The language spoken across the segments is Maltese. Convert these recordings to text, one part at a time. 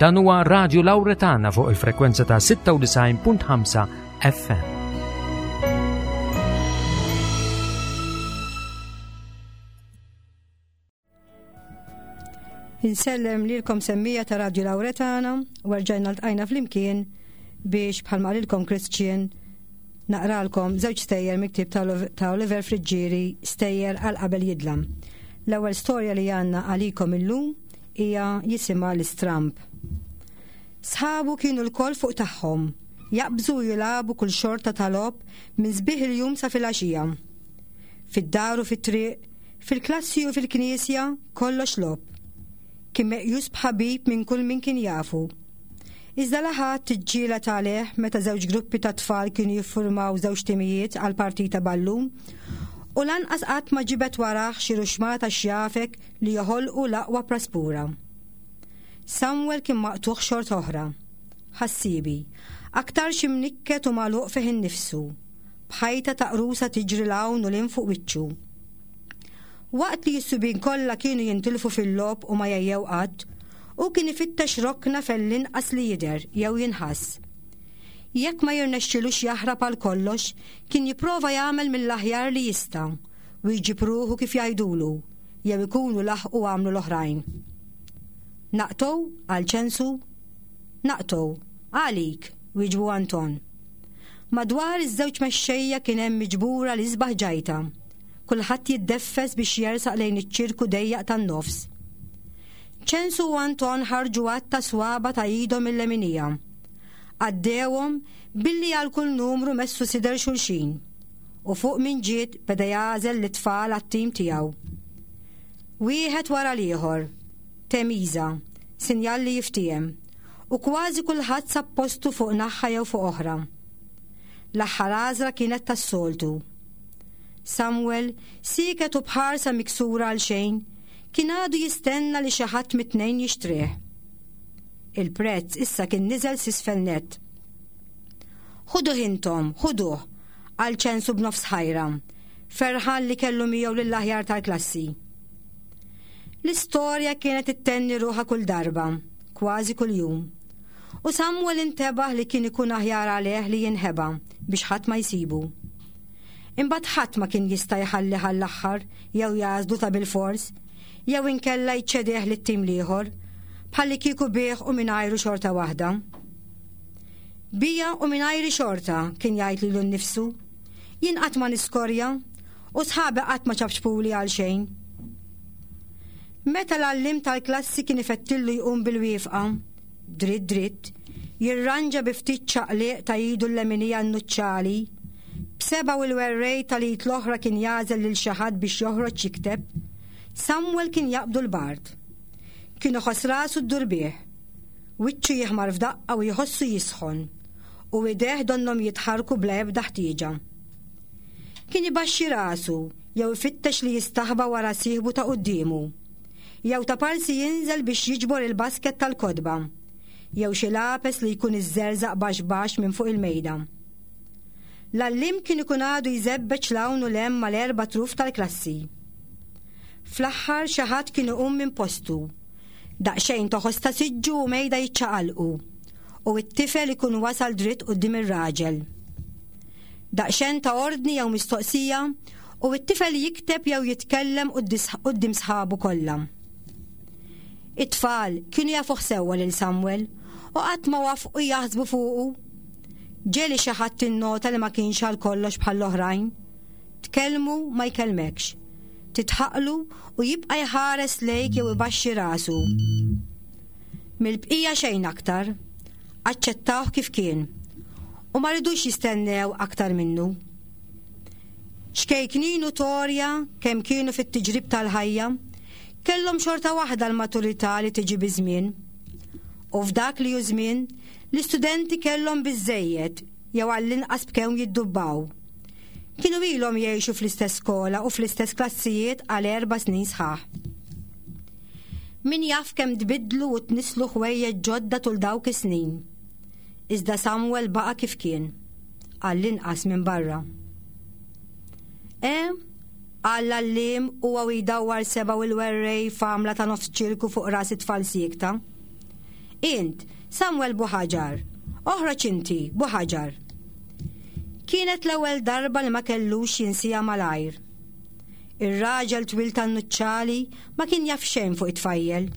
Dan huwa Radio Lauretana fuq il-frekwenza ta' 96.5 FM. Insellem lilkom semmija ta' Radio Lauretana u rġajna ltqajna flimkien biex bħalma qalilkom Christian naqralkom żewġ stejjer miktib ta' Oliver Friggieri stejjer għal qabel jidlam. L-ewwel storja li għandna għalikom illum hija jisimha l-istramb. Sħabu kienu lkoll fuq tagħhom, jaqbżu u jilagħbu kull xorta ta' logħob minn sbieħ il-jum sa filgħaxija. Fid-dar u fit-triq, fil-klassi u fil-knisja, kollox logħob. Kien meqjus b'ħabib minn kull min kien jafu. Iżda la ħadd iġġieled għalih meta żewġ gruppi ta' tfal kienu jiffurmaw żewġ timijiet għal partita ballun, u lanqas qatt ma ġibed warah xi ruxmata xjafek li joħolqu l-aqwa praspura. Samuel kien maqtugħ xorta oħra. Ħassiebi, aktarx imnikket u magħluq fih innifsu, b'ħajta ta' qrusa tiġri 'l hawn u 'l hinn fuq wiċċu. Waqt li s-subien kollha kienu jintilfu fil-logħob u ma jgħejjew qatt, hu kien ifittex rokna fejn l-inqas li jidher jew jinħass. Jekk ma jirnexxilux jaħrab għal kollox, kien jipprova jagħmel mill-aħjar li jista' u jġib ruħu kif jgħidulu jew ikunu laħqu għamlu l-oħrajn. Naqtgħu? qal Ċensu. Naqtgħu. Għalik, wieġbu Anton. Madwar iż-żewġ mexxejja kien hemm miġbura l-isbaħ ġajta. Kulħadd jiddeffes biex jersaq lejn iċ-ċirku dejjaq tan-nofs. Ċensu u Anton ħarġu għadd ta' swaba ta' idhom il-leminija. Għaddewhom billi għal kull numru messu sider xulxin. U fuq min ġiet beda jagħżel lit-tfal għat-tim tiegħu. Wieħed wara l-ieħor. Temiża, sinjal li jiftiehem. U kważi kulħadd sab postu fuq naħa jew fuq oħra. L-aħħar għażla kienet tas-soltu. Samuel, sieket u b'ħarsa miksura għal xejn, kien għadu jistenna li xi ħadd mit-tnejn jixtrih. Il-prezz issa kien niżel s'isfel nett. Ħuduh intom, ħuduh, qal Ċensu b'nofs ħajra, ferħan li kellu miegħu lill-aħjar tal-klassi. L-istorja kienet ittenni ruħha kull darba, kważi kuljum. U Samuel intebaħ li kien ikun aħjar għalih li jinħeba biex ħadd ma jsibu. Imbagħad ħadd ma kien jista' jħallih għall-aħħar jew jagħżlu ta' bilfors, jew inkella jċedih lit-tim l-ieħor, bħallikieku bih u mingħajru xorta waħda. Bija u mingħajri xorta, kien jgħid lilu nnifsu. Jien qatt ma niskorja u sħabi qatt ma ċapċpuli għal xejn. Meta l-għalliem tal-klassi kien ifettillu jqum bil-wieqfa, dritt dritt, jirranġa bi ftit ċaqliq ta' idu l-leminija n-nuċċali, b'sebgħu il-werrej tal-id l-oħra kien jagħżel lil xi ħadd biex joħroġ jikteb, Samuel kien jaqbdu l-bard. Kien iħoss rasu ddur bih. Wiċċu jiħmar f'daqqa u jħossu jisħon, u idejh donnhom jitħarrku bla ebda ħtieġa. Kien ibaxxi rasu jew ifittex li jistaħba wara sieħbu ta' quddiemu, jew ta' parsi jinżel biex jiġbor il-basket tal-kotba, jew xi lapes li jkun iżżerżaq baxx baxx minn fuq il-mejda. L-għalliem kien ikun għadu jżebbeġ 'l hawn u 'l hemm mal-erba' truf tal-klassi. Fl-aħħar xi ħadd kien iqum minn postu. Daqsxejn toħos ta' siġġu u mejda jiċċaqalqu, u t-tifel ikun wasal dritt quddiem ir-raġel. Daqsxejn ta' ordni jew mistoqsija u t-tifel jikteb jew jitkellem quddiem sħabu kollha. It-tfal kienu jafuh sewwa lil Samuel u qatt ma wafqu jaħsbu fuqu. Ġieli xi ħadd innota li ma kienx għal kollox bħall-oħrajn. Tkellmu ma jkellmekx. Titħaqlu u jibqa' jħares lejk jew ibaxxi rasu. Mill-bqija xejn aktar. Aċċettawh kif kien. U ma ridux jistennew aktar minnu. Ċkejknin u torja kemm kienu fit-tiġrib tal-ħajja, kellhom xorta waħda l-maturità li tiġi biż-żmien. U f'dak li hu żmien, l-istudenti kellhom biżżejjed jew għall-inqas b'kemm jiddubbaw. Kienu ilhom jgħixu fl-istess skola u fl-istess klassijiet għal erba' snin sħaħ. Min jaf kemm tbiddlu u tnisslu ħwejjeġ ġodda tul dawk is-snin. Iżda Samuel baqa' kif kien, għall-inqas minn barra. E, qal l-għalliem huwa u jdawwar sebgħu il-werrej f'għamla ta' nofs ċirku fuq ras it-tfal siekta. Int, Samuel Buħaġar, oħroġ inti, Buħaġar. Kienet l-ewwel darba li ma kellux jinsija malajr. Ir-raġel twil tan-nuċċali ma kien jaf xejn fuq it-tfajjel.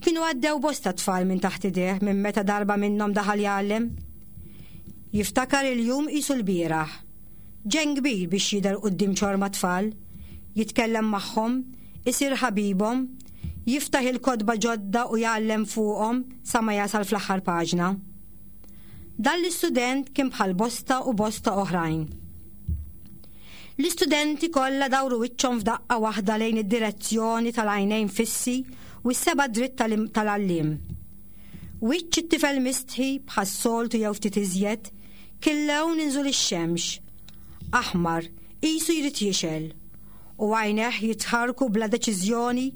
Kienu għaddew bosta tfal minn taħt idejh minn meta darba minnhom daħal jgħallem. Jiftakar il-jum qisu l-bieraħ. Ġenn kbir biex jidher quddiem ċorma tfal, jitkellem magħhom, isir ħabibhom, jiftaħ il-kotba ġodda u jgħallem fuqhom sa ma jasal fl-aħħar paġna. Dan l-istudent kien bħal bosta u bosta oħrajn. L-istudenti kollha dawru wiċċhom f'daqqa waħda lejn id-direzzjoni tal-għajnejn fissi u s-seba' dritt tal-għalliem. Wiċċ it-tifel mistħi bħas-soltu jew ftit iżjed, kien lewn inżul ix-xemx, aħmar, qisu jrid jixgħel, u għajnejh jitħarrku bla deċiżjoni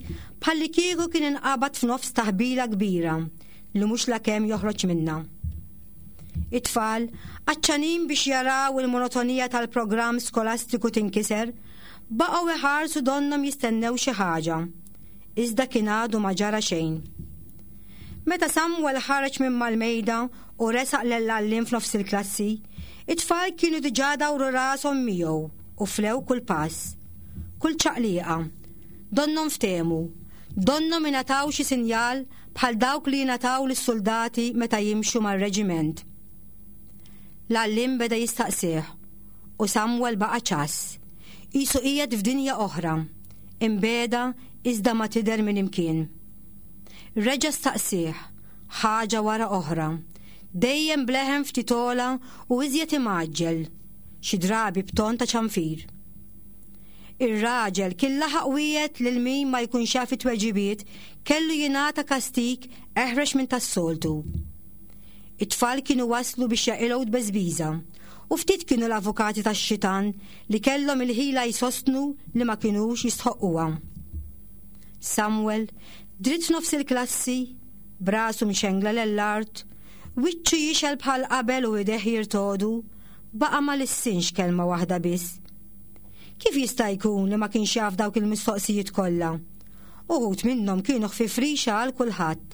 bħallikieku kien inqabad f'nofs taħbila kbira li mhux lakemm joħroġ minnha. It-tfal, għatxanin biex jaraw il-monotonija tal-programm skolastiku tinkiser, baqgħu iħarsu donnhom jistennew xi ħaġa. Iżda kien għadu ma ġara xejn. Meta Samuel ħareġ minn mal-mejda u resaq lill-għalliem f'nofs il-klassi, it-tfal kienu diġà dawru rashom miegħu u flew kull pass, kull ċaqliqa. Donnhom ftehmu, donnhom ingħataw xi sinjal bħal dawk li jingħataw lis-suldati meta jimxu mar-reġiment. L-għalliem beda jistaqsih u Samuel baqa' ċass, qisu qiegħed f'dinja oħra, imbiegħda iżda ma tidher minn imkien. Reġa' staqsieh, ħaġa wara oħra, dejjem b'leħen ftit ogħla u iżjed imgħaġġel, xi drabi b'ton ta' ċanfir. Ir-raġel kien laħaq wiegħed lil min ma jkunx jaf it-tweġibiet kellu jingħata kastig eħrex minn tas-soltu. It-tfal kienu waslu biex jaqilgħu tbeżbiża u ftit kienu l-avukati tax-xitan li kellhom il-ħila jsostnu li ma kinux jistħoqquha. Samuel, dritt f'nofs il-klassi, b'rasu mxengla lell-art, wiċċu jixgħel bħal qabel u idejh jirtogħdu, baqa' ma lissinx kelma waħda biss. Kif jista' jkun li ma kienx jaf dawk il-mistoqsijiet kollha? Uħud minnhom kienu ħfief rixa għal kulħadd.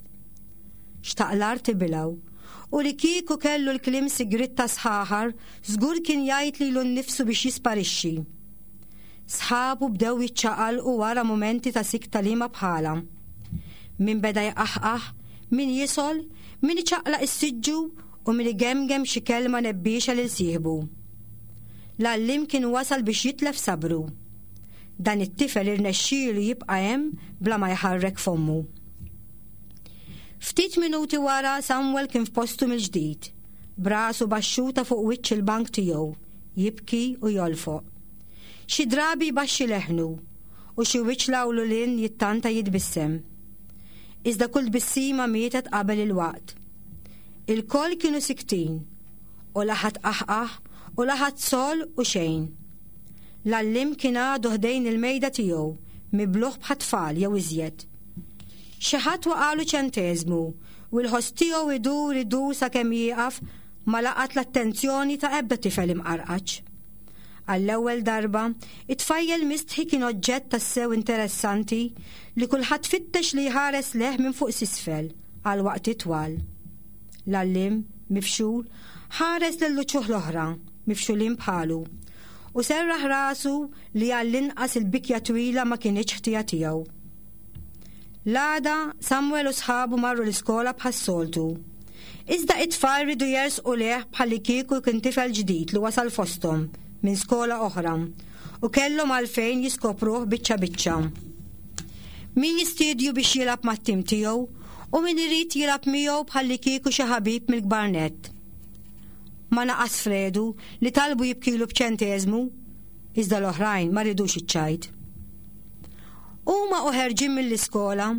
Xtaq l-art tibilgħu. U li kieku kellu l-kliem sigriet ta' sħaħar, żgur kien jgħid lilu nnifsu biex jisparixxi. Sħabu bdew jiċċaqalqu wara mumenti ta' sikta liema bħalha. Min beda jqaħqaħ, min jisgħol, min iċaqlaq is-siġġu u min igemgem xi kelma nebbiexa lil sieħbu. L-għalliem kien wasal biex jitlef sabru. Dan it-tifel irnexxielu jibqa' hemm bla ma jħarrek fommu. Ftit minuti wara Samuel kien f'postu mill-ġdid, b'rasu baxxuta fuq wiċċ il-bank tiegħu, jibki u jolfoq. Xi drabi jbaxxi leħnu u xi wiċċ l-hawn u 'l hinn jittanta jitbissem. Iżda kull tbissima mietet qabel il-waqt. Ilkoll kienu siktin u la ħadd qaħqaħ u la ħadd sol u xejn. L-għalliem kien għadu ħdejn il-mejda tiegħu, mibluh bħat-tfal jew iżjed. Xi ħadd waqagħlu ċenteżmu u l-ħoss tiegħu idur idur sakemm jieqaf ma laqat l-attenzjoni ta' ebda tifel imqarqaċ. Għall-ewwel darba, it-tfajjel mistħi kien oġġett tassew interessanti li kulħadd fittex li jħares lejh minn fuq s'isfel għal waqtiet twal. L-għalliem, mifxul, ħares lill-uċuħ l-oħra, mifxulin bħalu, u serraħ rasu li għall-inqas il-bikja twila ma kinitx ħtija tiegħu. L-għada, Samuel u sħabu marru l-iskola bħas-soltu. Iżda it-tfal riedu jersqu lejh bħallikieku kien tifel ġdid li wasal fosthom minn skola oħra u kellhom għalfejn jiskopruh biċċa biċċa. Min jistiedju biex jilgħab mat-tim tiegħu u min irid jilgħab miegħu bħallikieku xi ħabib mill-kbar nett. Ma naqas Fredu li talbu jibkilu b'ċenteżmu, iżda l-oħrajn ma ridux iċ-ċajt. Huma u ħerġin mill-iskola,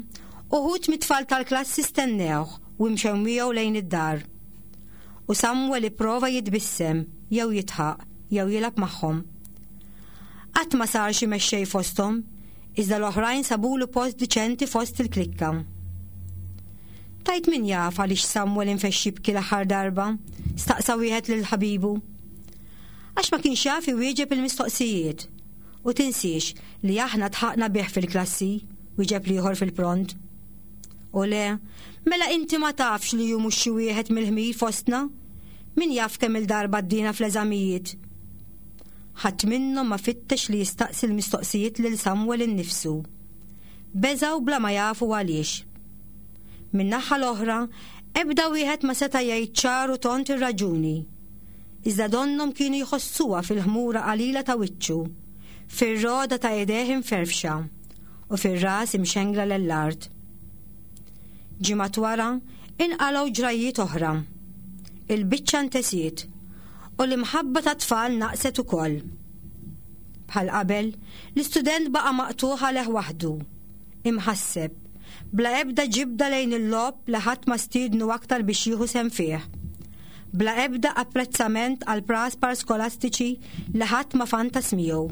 uħud mit-tfal tal-klassi stennewh u imxew miegħu lejn id-dar. U Samuel ipprova jitbissem jew jidħaq jew jilgħab magħhom. Qatt ma sar xi mexxej fosthom, iżda l-oħrajn sabulu post diċenti fost il-klikka. Tajt min jaf għaliex Samuel infexx jibki l-aħħar darba, staqsa wieħed lil ħabibu. Għax ma kienx jaf iwieġeb il-mistoqsijiet. U tinsiex li aħna tħaqna bih fil-klassi, wieġeb l-ieħor fil-pront. U le, mela inti ma tafx li hu mhux xi wieħed mill-ħmir fostna? Min jaf kemm il-darba għaddiena fl-eżamijiet? Ħadd minnhom ma fittex li jistaqsi l-mistoqsijiet lil Samwel innifsu. Beżgħu bla ma jafu għaliex. Min-naħa l-oħra, ebda wieħed ma seta' jgħid ċar u tond ir-raġuni. Iżda donnhom kienu jħossuha fil-ħmura qalila ta' wiċċu, fir-rogħda ta' idejh imferfxa u fir-ras imxengla lell-art. Ġimgħat wara, inqalgħu ġrajjiet oħra. Il-biċċa ntesiet u l-imħabba tat-tfal naqset ukoll. Bħal qabel, l-istudent baqa' maqtugħ għalih waħdu, imħasseb, bla ebda ġibda lejn il-logħob li ħadd ma stiednu aktar biex jieħu sehem fih, bla ebda apprezzament għall-praspar skolastiċi li ħadd ma fantas miegħu.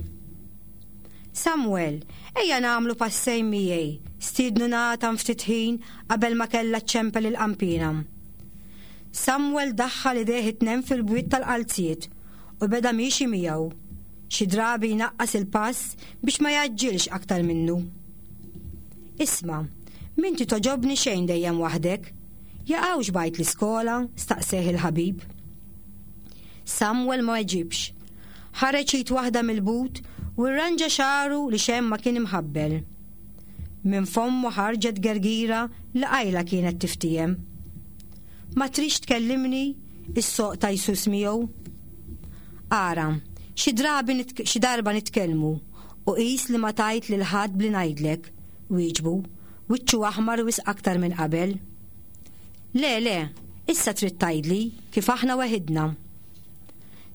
Samuel, ejja nagħmlu passejn miegħi, stiednu Nathan ftit ħin qabel ma kellha ċċempel il-qanpiena. Samuel daħħal idejh it-tnejn fil-bwiet tal-qalziet u beda miexi miegħu, xi drabi jnaqqas il-pass biex ma jgħaġġilx aktar minnu. Isma', m'inti togħġobni xejn dejjem waħdek. Jaqgħux bgħid l-iskola? staqseh il-ħabib. Samuel ma weġibx. Ħareġ id waħda mill-but u rranġa xagħru li xejn ma kien imħabbel. Minn fommu ħarġet gergira li qajla kienet tiftiehem. Ma tridx tkellimni? Issoqta jsus miegħu. Ara, xi drabi xi darba nitkellmu u qis li ma tgħid lil ħadd bli ngħidlek, wieġbu, wiċċu aħmar wisq aktar minn qabel. Le, le, issa trid tgħidli kif aħna weħidna.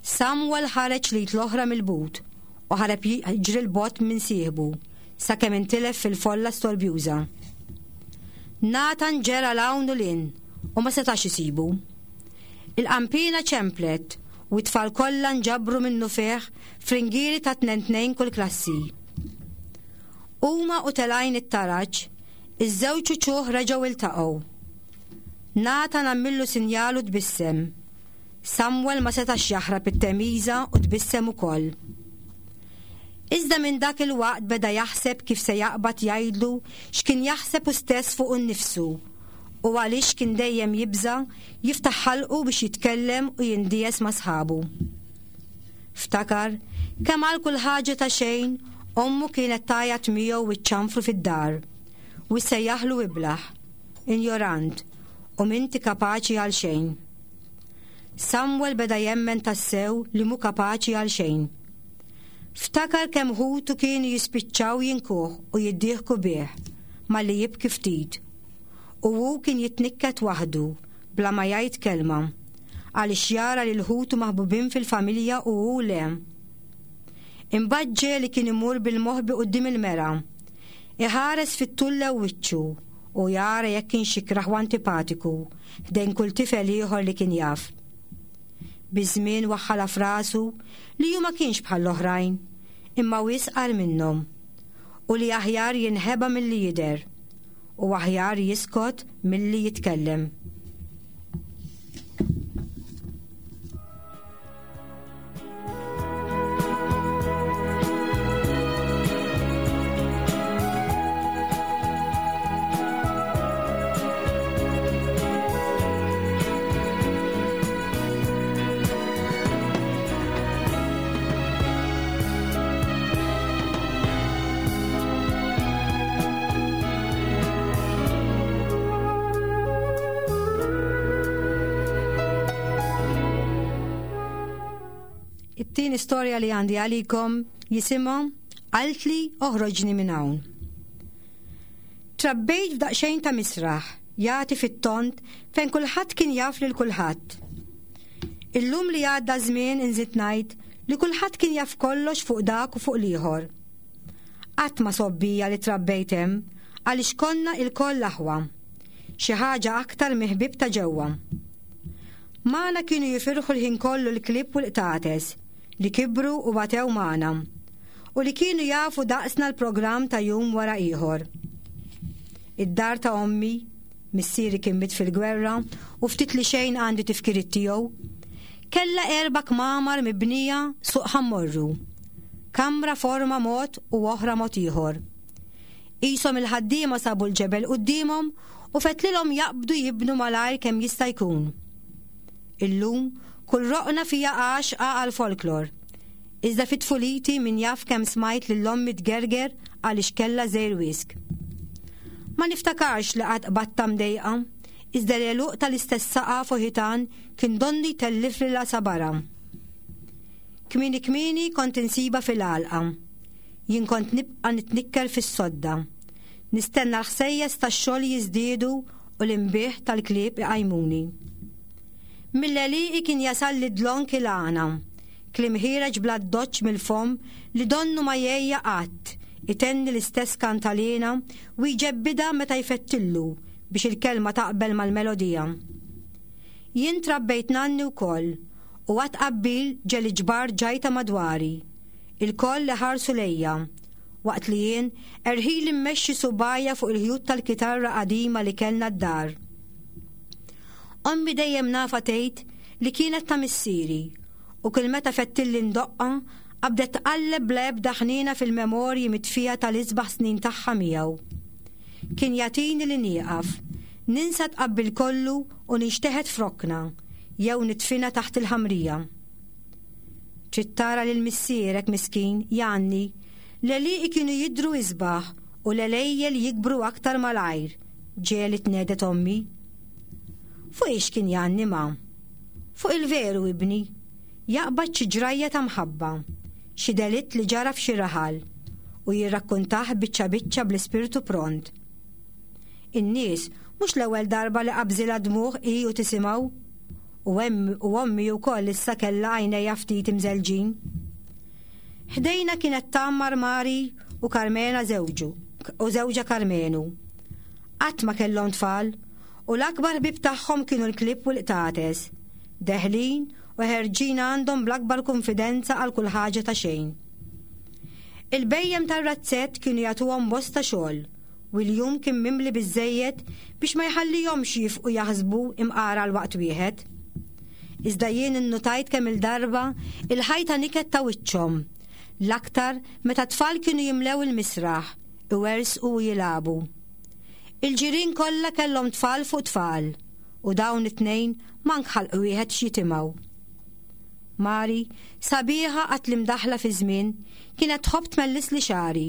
Samuel ħareġ l-id l-oħra mill-but u ħareb jiġri 'l bogħod minn sieħbu sakemm intilef fil-folla storbjuża. Nathan ġera 'l hawn u 'l hinn u ma setax isibu. Il-qanpiena ċemplet u t-tfal kollha nġabru minnufih f'ringieri ta' tnejn tnejn kull klassi. Huma u telgħin it-taraġ, iż-żewġ uċuħ reġgħu iltaqgħu. Nathan għamillu sinjal u tbissem. Samuel ma setax jaħrab it-temiża u tbissem ukoll. Iżda minn dak il-waqt beda jaħseb kif se jaqbad jgħidlu x'kien jaħseb hu stess fuqu nnifsu u għaliex kien dejjem jibża' jiftaħ ħalqu biex jitkellem u jindies ma' sħabu. Ftakar kemm għal kull ħaġa ta' xejn ommu kienet tgħajjat miegħu u ċċanfru fid-dar u ssejjaħlu iblah, injorant u m'inti kapaċi għal xejn. Samuel beda jemmen tassew li mhu kapaċi għal xejn. Ftakar kemm ħutu kienu jispiċċaw jinkuh u jiddieħku bih malli jibki ftit. U hu kien jitnikket waħdu bla ma jgħid kelma għaliex jara lil ħutu maħbubin fil-familja u hu le. Imbagħad ġieli kien imur bil-moħbi quddiem il-mera, iħares fit-tul lew wiċċu u jara jekk kienx ikrah u antipatiku ħdejn kull tifel ieħor li kien jaf. Biż-żmien waħħalha f'rasu li hu ma kienx bħall-oħrajn, imma wisq agħar minnhom, u li aħjar jinħeba milli jidher, u aħjar jiskot milli jitkellem. It-tieni storja li għandi għalikom jisimha Qaltli oħroġni minn hawn. Trabbejt f'daqsxejn ta' misraħ, jagħti fit-tond fejn kulħadd kien jaf lil kulħadd. Illum li għadda żmien inżid ngħid li kulħadd kien jaf kollox fuq dak u fuq l-ieħor. Qatt ma sobbija li trabbejt hemm għaliex konna ilkoll aħwa. Xi ħaġa aktar minn ħbieb ta' ġewwa. Magħna kienu jifirħu l-ħin kollu l-klieb u l-qtates li kibru u batew magħna u li kienu jafu daqsna l-programm ta' jum wara ieħor. Id-dar ta' ommi, missieri kien miet fil-gwerra u ftit li xejn għandi tifkiriet tiegħu, kellha erba' kmamar mibnija suq ħammorru. Kamra forma mod u oħra mod ieħor. Qishom il-ħaddiema sabu l-ġebel quddiemhom u fetlilhom jaqbdu jibnu malajr kemm jista' jkun. Illum kull roqna fija għaxqa għall-folklor. Iżda fi tfuliti min jaf kemm smajt lil ommi tgerger għaliex kellha żgħir wisq. Ma niftakarx li qatt qbadtha mdejqa, iżda l-għeluq tal-istess saqaf u ħitan kien donnu jtellifli l-għasabara. Kmieni kmieni kont insibha fil-għalqa. Jien kont nibqa' nitnikker fis-sodda. Nistenna l-ħsejjes tax-xogħol jiżdiedu u l-inbiħ tal-klieb iqajmuni. Mill-għelieqi kien jasalli dlonk il-għana, kliem ħiereġ bl-addoċċ mill-fomm li donnu ma jgħejja qatt, itenni l-istess kantaliena u jġebbidha meta jfettillu biex il-kelma taqbel mal-melodija. Jien trabbejt nanni wkoll u għat-tqabbil ġeli ġbart ġajta madwari, ilkoll iħarsu lejja, waqt li jien erħili mmexxi subgħajja fuq il-ħjut tal-kitarra qadima li kellna d-dar. Ommi dejjem nafha tgħid li kienet ta' missieri u kull meta fettilli ndoqqha qabdet tqalleb bla ebda ħniena fil-memorji mitfija tal-isbaħ snin tagħha miegħu. Kien jagħtini li nieqaf, ninsa tqabbil kollu u ninxteħet f'rokna jew nidfinha taħt il-ħamrija. Trid tara lil missierek miskin, jgħanni, l-għelieqi kienu jidhru isbaħ u l-għelejjel jikbru aktar malajr, ġieli tnehdet ommi. Fuq ix kien jgħanni ma? Fuq il-veru ibni. Jaqbad xi ġrajja ta' mħabba, xi delitt li ġara f'xi raħal, u jirrakkuntah biċċa biċċa bl-ispirtu pront. In-nies mhux l-ewwel darba li qabżilha dmugħ hi u tisimgħu. U hemm u ommi wkoll issa kellha għajnejha ftit imżellġin. Ħdejna kienet tgħammar Mari u Karmena żewġu u żewġha Karmenu. Qatt ma kellhom tfal u l-akbar ħbieb tagħhom kienu l-klieb u l-qtates. Deħlin u ħerġin għandhom bl-akbar kunfidenza għal kull ħaġa ta' xejn. Il-bhejjem tar-razzett kienu jagħtuhom bosta xogħol u l-jum kien mimli biżżejjed biex ma jħallihomx jifqu jaħsbu imqar għal waqt wieħed. Iżda jien innutajt kemm-il darba il-ħajta niket ta' wiċċhom, l-aktar meta t-tfal kienu jimlew il-misraħ, iwerżqu u jilagħbu. Il-ġirien kollha kellhom tfal fuq tfal u dawn it-tnejn mank ħalq wieħed x'jitimgħu. Mari, sabiħa qatt li mdaħħla fiż-żmien, kienet tħobb tmellisli xagħri.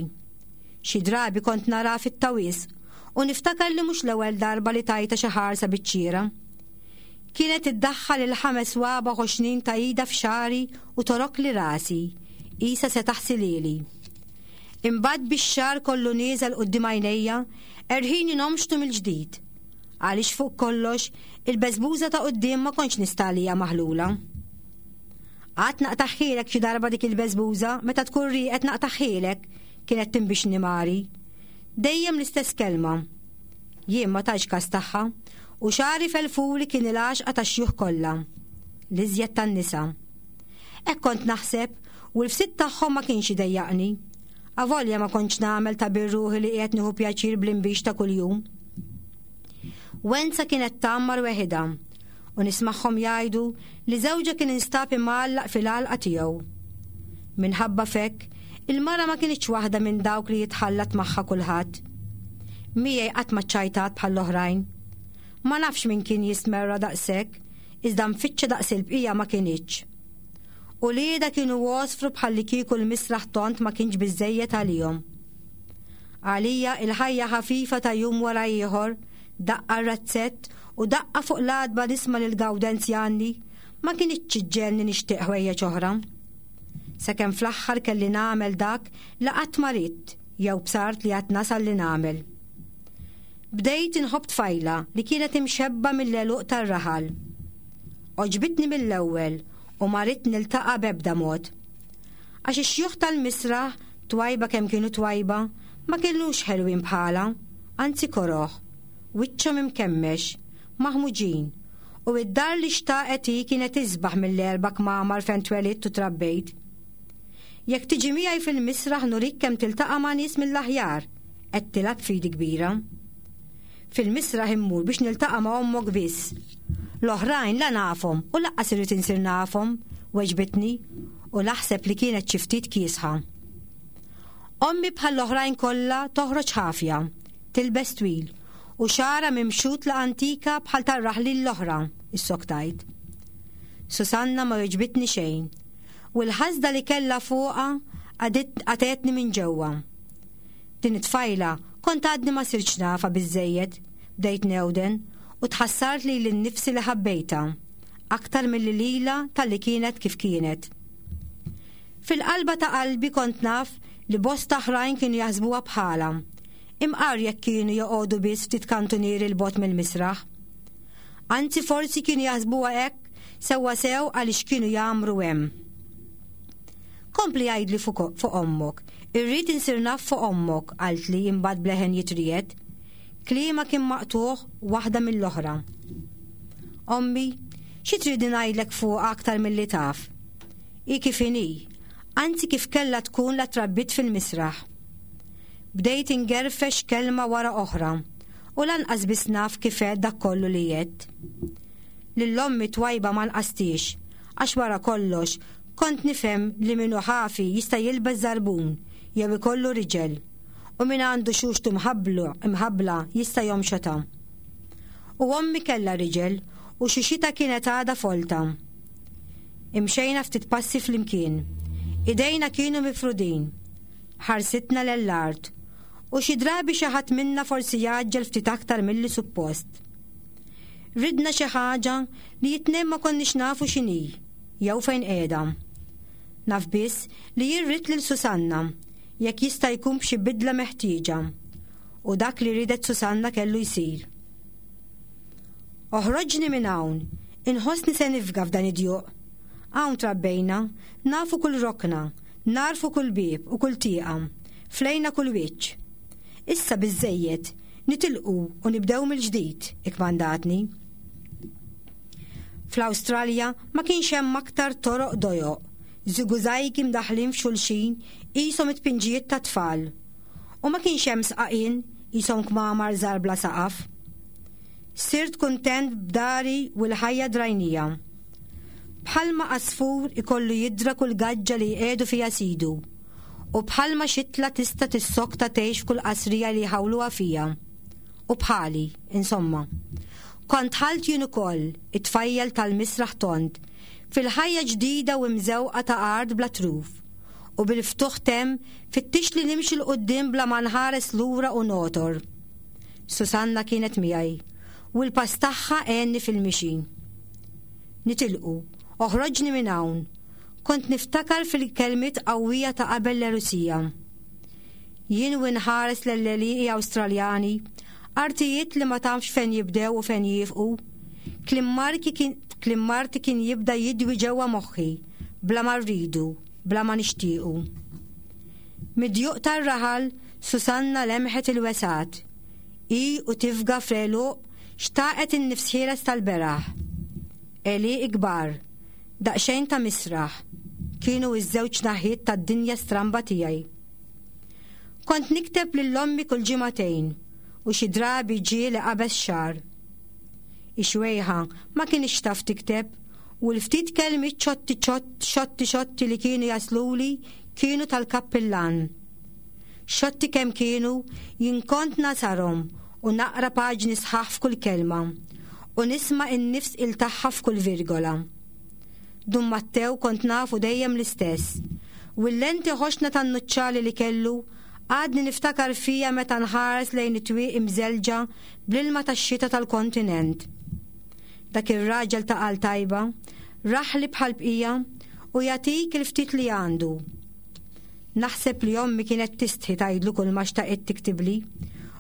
Xi drabi kont naraha fit-tawis u niftakar li mhux l-ewwel darba li tajtha xi ħarsa biċ-ċiera. Kienet iddaħħal il-ħames swaba' ħoxnin ta' idha f'xagħri u torokli rasi, qisha se taħsilhieli. Imbagħad bix-xagħar kollu nieżel quddiem għajnejja, erħini nomxtu mill-ġdid. Għaliex fuq kollox, il-beżbuża ta' quddiem ma kontx nista' għaliha maħlula. Għad naqtagħhielek xi darba dik il-beżbuża, meta tkun rieqed naqtagħhielek, kienet tinbixni Mari. Dejjem l-istess kelma. Jien ma tajtx kas tagħha, u xagħri felfuli kien il-għaxqa tax-xjuħ kollha, l-iżjed tan-nisa. Hekk kont naħseb, u l-fsied tagħhom ma kienx idejjaqni. Avolja ma kontx nagħmel ta' bir-ruħi li qiegħed nieħu pjaċir bl-inbix ta' kuljum. Wenza kienet tgħammar weħidha u nismagħhom jgħidu li żewġha kien instab imgħallaq fil-għalqa tiegħu. Minħabba f'hekk, il-mara ma kinitx waħda minn dawk li jitħallat magħha kulħadd. Miegħi qatt ma ċċajtat bħall-oħrajn. Ma nafx min kien jistmerrha daqshekk, iżda mfittxa daqs il-bqija ma kinitx. Uliedha kienu għosfru bħallikieku l-misraħ tond ma kienx biżżejjed għalihom. Għalija il-ħajja ħafifa ta' jum wara ieħor, daqqa r-razzett u daqqa fuq l-għatba nisma' lil Gawdenz jgħanni, ma kinitx iġġegħelni nixtieq ħwejjeġ oħra. Sakemm fl-aħħar kelli nagħmel dak li qatt ma ridt jew bsart li għad nasal li nagħmel. Bdejt inħobb tfajla li kienet imxebba mill-għeluq tar-raħal. Għoġbitni mill-ewwel u ma ridt niltaqa' b'ebda mod. Għax ix-xjuħ tal-misraħ, twajba kemm kienu twajba, ma kinux ħelwin bħalha, anzi koroh, wiċċhom imkemmex, maħmuġin, u id-dar li xtaqet hi kienet isbaħ mill-erba' kmamar fejn twelidt u trabbejt. Jekk tiġi miegħi fil-misraħ nurik kemm tiltaqa' ma' nies mill-aħjar, għedtilha b'fidi kbira. Fil-misraħ immur biex niltaqa' ma' ommok biss. L-oħrajn la nafhom u laqqas irrid insir nafhom, weġbitni, u naħseb li kienet xi ftit kiesħa. Ommi bħall-oħrajn kollha toħroġ ħafja, tilbes twil, u xagħarha mimxut la antika bħal tar-raħlin l-oħra, issoktajt. Susanna ma weġbitni xejn, u l-ħasda li kellha fuqha qatgħetni minn ġewwa. Din it-tfajla kont għadni ma sirtx nafha biżżejjed, bdejt newden u tħassart lili nnifsi li ħabbejtha, aktar milli lilha talli kienet kif kienet. Fil-qalba ta' qalbi kont naf li bosta oħrajn kienu jaħsbuha bħalha, imqar jekk kienu joqogħdu biss ftit kantunieri 'l bogħod mill-misraħ. Anzi forsi kienu jaħsbuha hekk sewwasew għaliex kienu jgħammru hemm. Kompli għidli fuq ommok. Irrid insir naf fuq ommok, qaltli imbagħad b'leħen jitriegħed. Kliemha kien maqtugħ waħda mill-oħra. Ommi, xi tridni ngħidlek fuqha aktar milli taf? Hi kif inhi, anzi kif kellha tkun la trabbiet fil-misraħ. Bdejt ingerfex kelma wara oħra u lanqas biss naf kif għedt dak kollu li għedt. Lil ommi twajba ma nqastiex, għax wara kollox kont nifhem li min hu ħafi jista' jilbes żarbun jew ikollu riġel, u min għandu xuxtu mħabbla jista' jomxotha. U ommi kellha riġel u xuxitha kienet għadha folta. Imxejna ftit passi flimkien. Idejna kienu mifrudin. Ħarsitna lejn l-art. U xi drabi xi ħadd minna forsi jgħaġġel ftit aktar milli suppost. Ridna xi ħaġa li it-tnejn ma konniex nafu x'inhi jew fejn qiegħda. Naf biss li jien ridt lil Susanna, jekk jista' jkun b'xi bidla meħtieġa. U dak li riedet Susanna kellu jsir. Oħroġni minn hawn, inħossni se nifga f'dan id-djuq. Hawn trabbejna, nafu kull rokna, nagħrfu kull bieb u kull tieqa, flejna kull wiċċ. Issa biżżejjed, nitilqu u nibdew mill-ġdid, ikkmandatni. Fl-Awstralja ma kienx hemm aktar toroq dojoq, żigużajgi mdaħħlin f'xulxin qishom it-tpinġijiet tat-tfal. U ma kienx hemm sqaqien qishom kmamar żgħar bla saqaf. Sirt kuntent b'dari u l-ħajja drajnija. Bħalma għasfur ikollu jidra kull gaġġa li jqiegħdu fiha sidu, u bħalma xitla tista' tissokta tgħix f'kull qasrija li jħawluha fiha. U bħali, insomma. Kont dħalt jien ukoll, it-tfajjel tal-misraħ tond, fil-ħajja ġdida u mżewqa ta' art bla truf, u bil-ftuħ temm fittixt li nimxi 'l quddiem bla ma nħares lura u nogħtor. Susanna kienet miegħi, u l-pass tagħha għenni fil-mixi. Nitilqu, oħroġni minn hawn. Kont niftakar fil-kelmiet qawwija ta' qabel l-erusija. Jien u nħares l-għelieqi Awstraljani, artijiet li ma tafx fejn jibdew u fejn jieqfu, kliem kliem marti kien jibda jidwi ġewwa moħħi, bla ma rridu, bla ma nixtiequ. Mid-djuq tar-raħal, Susanna lemħet il-wesgħat. Hi u tifga fl-għeluq xtaqet in-nifs ħieles tal-beraħ. Għelieqi kbar, daqsxejn ta' misraħ, kienu ż-żewġ naħiet tad-dinja stramba tiegħi. Kont nikteb lil ommi kull ġimagħtejn u xi drabi ġie li qabeż xahar. Ix-xwejħa ma kinitx taf tikteb u l-ftit kelmiet xotti xotti xotti li kienu jasluli kienu tal-kappillan. Xotti kemm kienu, jien kont nasarhom u naqra paġni sħaħ f'kull kelma u nisma' in-nifs il tagħha f'kull virgola. Dun Mattew kont nafu dejjem l-istess u l-lenti ħoxna tan-nuċċali li kellu għadni niftakar fija meta nħares lejn it-twieqi mżellġa bl-ilma tax-xita tal-kontinent. Dak ir-raġel ta' qal tajba, raħli bħal bqija u jagħtik il-ftit li għandu. Naħseb li ommi kienet tistħi tgħidlu kull ma xtaqet tiktibli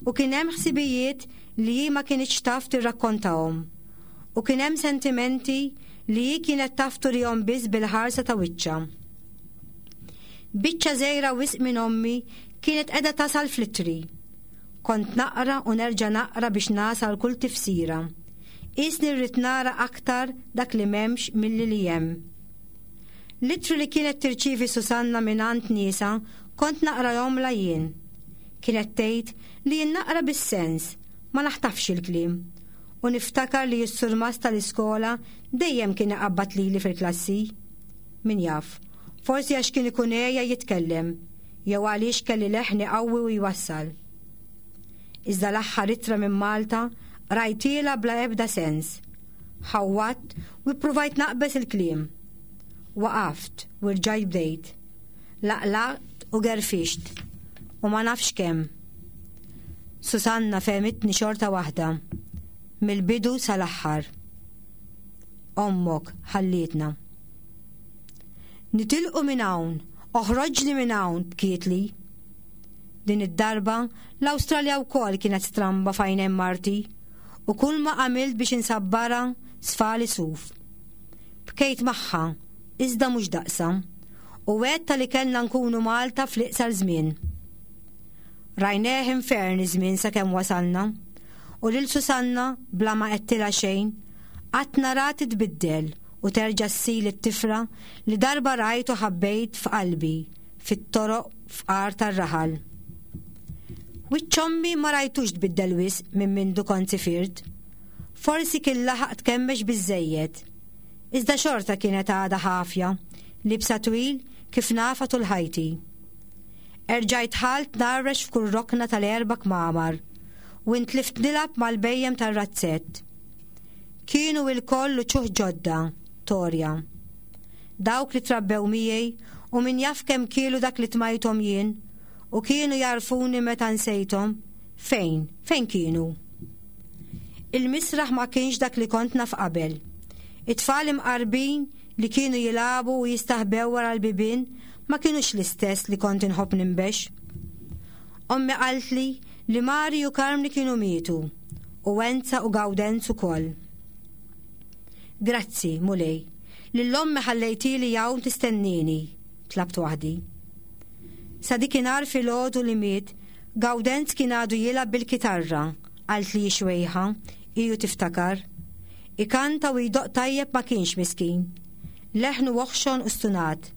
u kien hemm ħsibijiet li hi ma kinitx taf tirrakkontahom. U kien hemm sentimenti li hi kienet taf turihom biss bil-ħarsa ta' wiċċha. Biċċa żgħira wisq minn ommi kienet qiegħda tasal fl-ittri. Kont naqra u nerġa' naqra biex nasal kull tifsira. Qisni rrid nara aktar dak li m'hemmx milli li hemm. L-ittri li kienet tirċievi Susanna mingħand niesha kont naqrahomlha jien. Kienet tgħid li jien naqra bis-sens, ma naħtafx il-kliem. U niftakar li s-surmast tal-iskola dejjem kien iqabbad lili fil-klassi. Min jaf, forsi għax kien ikun għeja jitkellem, jew għaliex kelli leħni qawwi u jwassal. Iżda l-aħħar ittra minn Malta qrajtielha bla ebda sens. Ħawwadt u ppruvajt naqbeż il-kliem. Waqaft u rġajt bdejt. Laqlaqt u gerfixt u ma nafx kemm. Susanna fehmitni xorta waħda, mill-bidu sal-aħħar. Ommok ħallietna. Nitilqu minn hawn, oħroġni minn hawn, bkietli. Din id-darba, l-Awstralja wkoll kienet stramba f'għajnejn marti, u kulma għamilt biex insabbarha sfali suf. Bkejt magħha, iżda mhux daqsha, u għedtha li kellna nkunu Malta fl-iqsar żmien. Rajnieh infern iż-żmien sakemm wasalna, u lil Susanna bla ma għedtilha xejn, qatt nara titbiddel u terġa' ssir it-tifla li darba rajt u ħabbejt f'qalbi fit-toroq fqar tar-raħal. Wiċċ ommi ma rajtux tbiddel wisq minn mindu kont sifirt. Forsi kien laħaq tkemmex biżżejjed. Iżda xorta kienet għadha ħafja, liebsa twil kif nafha tul ħajti. Erġajt dħalt ngħarrex f'kull rokna tal-erba' kmamar u intlift nilgħab mal-bhejjem tar-razzett. Kienu ilkoll uċuħ ġodda, Torja. Dawk li trabbew miegħi u min jaf kemm kielu dak li tmajthom jien u kienu jagħrfuni meta nsejthom, fejn, fejn kienu? Il-misraħ ma kienx dak li kont naf qabel. It-tfal imqarbin li kienu jilagħbu u jistaħbew wara l-bibien ma kinux l-istess li kont inħobb ninbex. Ommi qaltli li Mari u Karmni kienu mietu u Enza u Gawdenz ukoll. Grazzi, Mulej, lil ommi ħallejtili hawn tistennini, tlabt waħdi. Sa dikinhar filgħodu li miet, Gawdenz kien għadu jilgħab bil-kitarra, qaltli xwejħa, iju tiftakar. Ikanta u jdoqq tajjeb ma kienx miskin. Leħnu oħxon u stunat,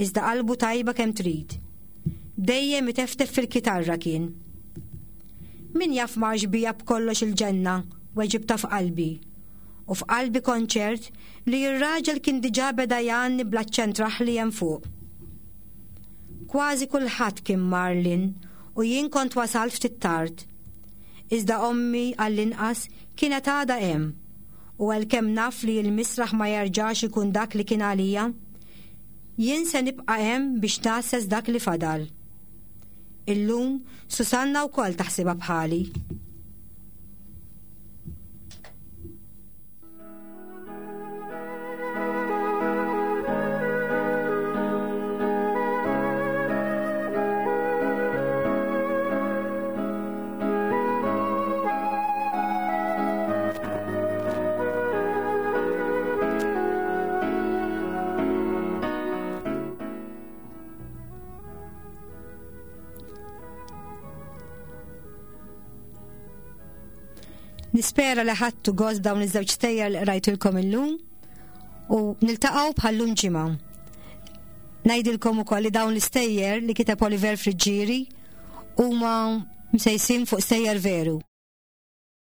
iżda qalbu tajba kemm trid. Dejjem iteftef fil-kitarra kien. Min jaf marx bija b'kollox il-ġenna, weġibtha f'qalbi. U f'qalbi kont ċert li r-raġel kien diġà beda jgħanni bl-aċċent raħli hemm fuq. Kważi kulħadd kien mar Lynn u jien kont wasalt ftit tard. Iżda ommi għall-inqas kienet għadha hemm u għalkemm naf li l-misraħ ma jerġax ikun dak li kien għalija, jien se nibqa' hemm biex ngħasses dak li fadal. Illum Susanna wkoll taħsibha bħali. Nispera li ħadtu gost dawn iż-żewġ stejjer li qrajtilkom illum u niltaqgħu bħallum ġimgħa. Ngħidilkom ukoll li dawn l-istejjer li kiteb Oliver Friggieri huma msejsin fuq stejjer veru.